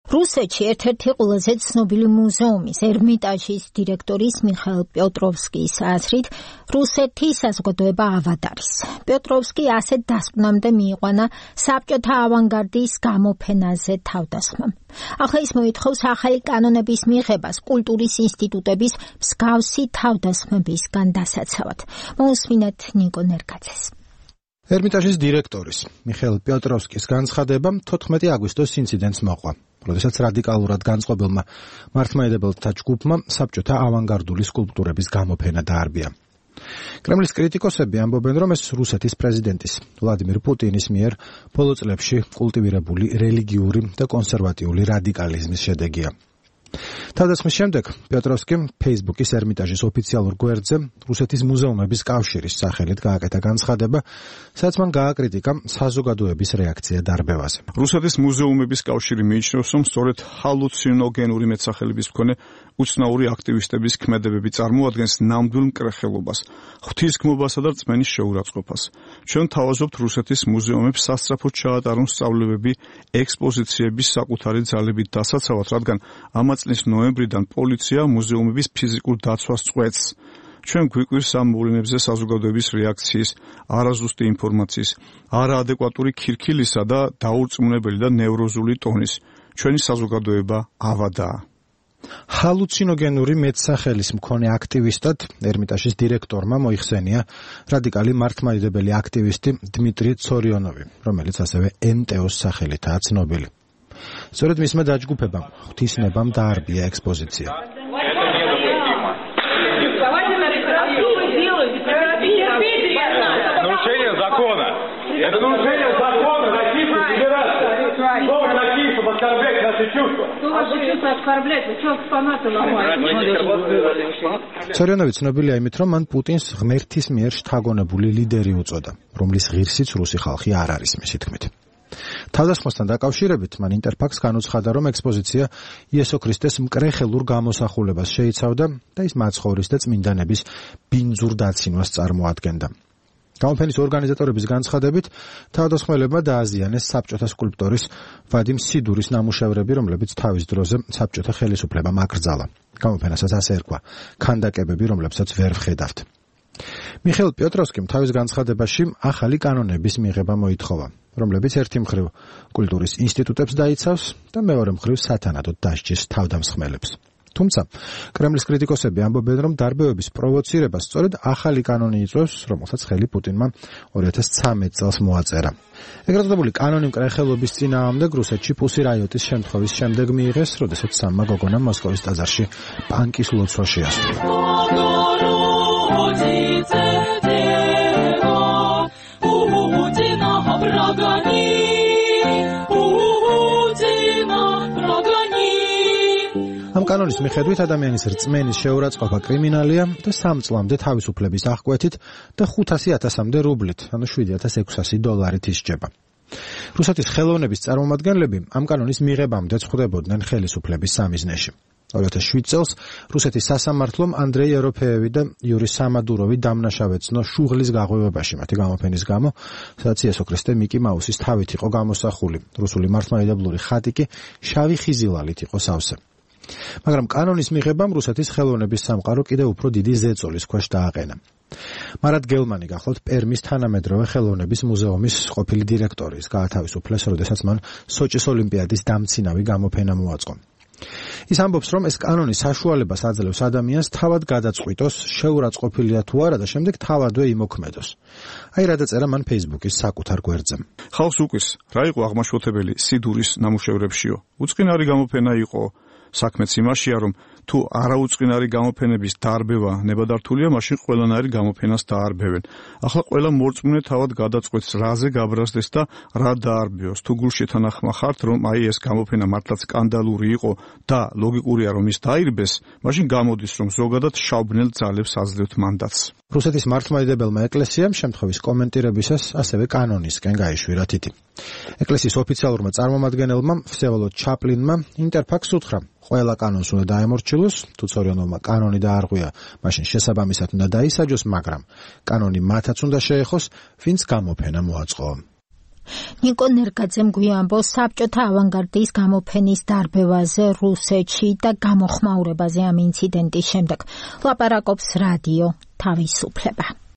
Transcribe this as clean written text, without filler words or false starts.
რუსეთში ერთ-ერთი ყველაზე ცნობილი მუზეუმის ერმიტაჟის დირექტორის მიხაილ პიოტროვსკის აზრით, რუსეთი საზოგადოება ავად არის. პიოტროვსკი ასეთ დასკვნამდე მიიყვანა საბჭოთა ავანგარდის გამოფენაზე თავდასხმამ. ახლა ის მოითხოვს ახალი კანონების მიღებას კულტურის ინსტიტუტების მსგავსი თავდასხმებისგან დასაცავად. მოусმინეთ ნიკო ნერკაძეს. ერმიტაჟის დირექტორის მიხაილ პიოტროვსკის განცხადება 14 აგვისტოს ინციდენტს მოყვა, როდესაც რადიკალურად განწყობილმა მართლმადიდებელთა ჯგუფმა საბჭოთა ავანგარდული სკულპტურების გამოფენა დაარბია. კრემლის კრიტიკოსები ამბობენ, რომ ეს რუსეთის პრეზიდენტის ვლადიმირ პუტინის მიერ ბოლო წლებში კულტივირებული რელიგიური და კონსერვატიული რადიკალიზმის შედეგია. თავდასხმის შემდეგ პიოტროვსკიმ ფეისბუქის ერმიტაჟის ოფიციალურ გვერდზე რუსეთის მუზეუმების კავშირის სახელით გააკეთა განცხადება, სადაც მან გააკრიტიკა საზოგადოების რეაქცია დარბევაზე. რუსეთის მუზეუმების კავშირი მიიჩნევს, რომ სწორედ ჰალუცინოგენური მეტსახელების მქონე უცნაური აქტივისტების ქმედებები წარმოადგენს ნამდვილ მკრეხელობას, ღვთისგმობასა და რწმენის შეურაცხყოფას. ჩვენ თავაზობთ რუსეთის მუზეუმებს სასწრაფოდ ჩაატარონ სწავლებები ექსპოზიციების საკუთარი ძალებით დასაცავად, რადგან ამ წლის ნოემბრიდან პოლიცია მუზეუმების ფიზიკურ დაცვას წყვეტს. ჩვენ გვიკვირს ამ მოვლენებზე საზოგადოების რეაქციის, არაზუსტი ინფორმაციის, არაადეკვატური ქირქილისა და დაურწმუნებელი და ნევროზული ტონის. ჩვენი საზოგადოება ავადაა. ჰალუცინოგენური მეტსახელის მქონე აქტივისტად ერმიტაჟის დირექტორმა მოიხსენია რადიკალი მართლმადიდებელი აქტივისტი დმიტრი ცორიონოვი, რომელიც ასევე NTO-ს სახელითაა ცნობილი. სწორედ მისმა დაჯგუფებამ ღვთისნებამ დაარბია ექსპოზიცია. ცორიონოვი ცნობილია იმით, რომ მან პუტინს ღმერთის მიერ შთაგონებული ლიდერი უწოდა, რომლის ღირსიც რუსი ხალხი არ არის მისი თქმით. თავდასხმასთან დაკავშირებით მან ინტერფაქს განუცხადა, რომ ექსპოზიცია იესო ქრისტეს მკრეხელურ გამოსახულებას შეიცავდა და ის მაცხოვრის და წმინდანების ბინძურ დაცინვას წარმოადგენდა. გამოფენის ორგანიზატორების განცხადებით, თავდასხმელებმა დააზიანეს საბჭოთა სკულპტორის ვადიმ სიდურის ნამუშევრები, რომლებიც თავის დროზე საბჭოთა ხელისუფლებამ აკრძალა. გამოფენასაც ასე ერქვა ქანდაკებები, რომლებსაც ვერ ვხედავთ. მიხაილ პიოტროვსკიმ თავის განცხადებაში ახალი კანონების მიღება მოითხოვა, რომლებიც ერთი მხრივ კულტურის ინსტიტუტებს დაიცავს და მეორე მხრივ სათანადოდ დასჯის თავდამსხმელებს. თუმცა კრემლის კრიტიკოსები ამბობენ, რომ დარბევების პროვოცირებას სწორედ ახალი კანონი იწვევს, რომელსაც ხელი პუტინმა 2013 წელს მოაწერა. ეგრეთ წოდებული კანონი მკრეხელობის წინააღმდეგ რუსეთში პუსი რაიოტის შემთხვევის შემდეგ მიიღეს, როდესაც სამმა გოგონამ მოსკოვის ტაძარში პანკის ლოცვა შეასრულა. ამ კანონის მიხედვით ადამიანის რწმენის შეურაცხყოფა კრიმინალია და 3 წლამდე თავისუფლების აღკვეთით და 500,000-მდე რუბლით, ანუ $7,600 ისჯება. რუსეთის ხელოვნების წარმომადგენლები ამ კანონის მიღებამდე ხვდებოდნენ ხელისუფლების სამიზნეში. 2007 წელს რუსეთის სასამართლომ ანდრეი ეროფეევი და იური სამადუროვი დამნაშავეცნო შუღლის გაღვივებაში მათი გამოფენის გამო, სადაც იესო ქრისტე მიკი მაუსის თავით იყო გამოსახული. რუსული მართლმადიდებლური ხატი კი შავი ხიზილალით იყო სავსე. მაგრამ კანონის მიღებამ რუსეთის ხელოვნების სამყარო კიდევ უფრო დიდი ზეწოლის ქვეშ დააყენა. მარად გელმანი გახლავთ პერმის თანამედროვე ხელოვნების მუზეუმის ყოფილი დირექტორი, გაათავისუფლეს, როდესაც მან სოჭის ოლიმპიადის დამცინავი გამოფენა მოაწყო. ის ამბობს, რომ ეს კანონი საშუალებას აძლევს ადამიანს თავად გადაწყვიტოს, შეურაცხყოფილია თუ არა და შემდეგ თავადვე იმოქმედოს. აი რა დაწერა მან ფეისბუქის საკუთარ გვერდზე. ხალხს უყვირს, რა იყო აღმაშფოთებელი სიდურის ნამუშევრებშიო? უწყინარი გამოფენა იყო. საქმეც იმაშია, რომ თუ არაუწყინარი გამოფენების დაარბევა ნებადართულია, მაშინ ყველანაირი გამოფენას დაარბევენ. ახლა ყველა მორწმუნე თავად გადაწყვეტს, რაზე გაბრაზდეს და რა დაარბევოს. თუ გულშეთანახმა ხართ, რომ აი ეს გამოფენა მართლაც სკანდალური იყო და ლოგიკურია, რომ ის დაირბეს, მაშინ გამოდის, რომ ზოგადად შავბნელ ძალებს აძლევთ მანდატს. რუსეთის მართლმადიდებელმა ეკლესიამ შემთხვევის კომენტირებისას ასევე კანონისკენ გაიშვირა თითი. ეკლესიის ოფიციალურმა წარმომადგენელმა ვსევოლოდ ჩაპლინმა ინტერფაქს უთხრა, ყველა კანონს უნდა დაემორჩილოს, თუ ცორიონოვმა კანონი დაარღვია, მაშინ შესაბამისად უნდა დაისაჯოს, მაგრამ კანონი მათაც უნდა შეეხოს, ვინც გამოფენა მოაწყო. ნიკო ნერგაძემ გვიამბოს საბჭოთა ავანგარდის გამოფენის დარბევაზე რუსეთში და გამოხმაურებაზე ამ ინციდენტის შემდეგ. ლაპარაკობს რადიო თავისუფლება.